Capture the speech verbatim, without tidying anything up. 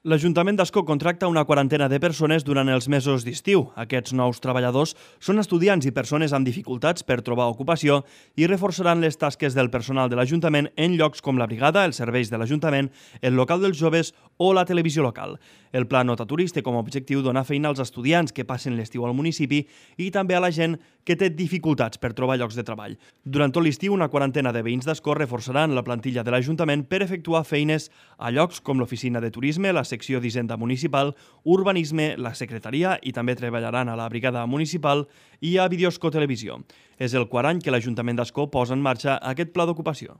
L'Ajuntament d'Ascó contracta una quarantena de persones durant els mesos d'estiu. Aquests nous treballadors són estudiants i persones amb dificultats per trobar ocupació i reforçaran les tasques del personal de l'Ajuntament en llocs com la brigada, els serveis de l'Ajuntament, el local dels joves o la televisió local. El Pla Nota Turista com a objectiu dona feina als estudiants que passen l'estiu al municipi i també a la gent que té dificultats per trobar llocs de treball. Durant tot l'estiu, una quarantena de veïns d'Ascó reforçaran la plantilla de l'Ajuntament per efectuar feines a llocs com l'oficina de turisme, la secció d'Hisenda Municipal, urbanisme, la secretaria i també treballaran a la brigada municipal i a Videosco Televisió. És el quart any que l'Ajuntament d'Ascó posa en marxa aquest pla d'ocupació.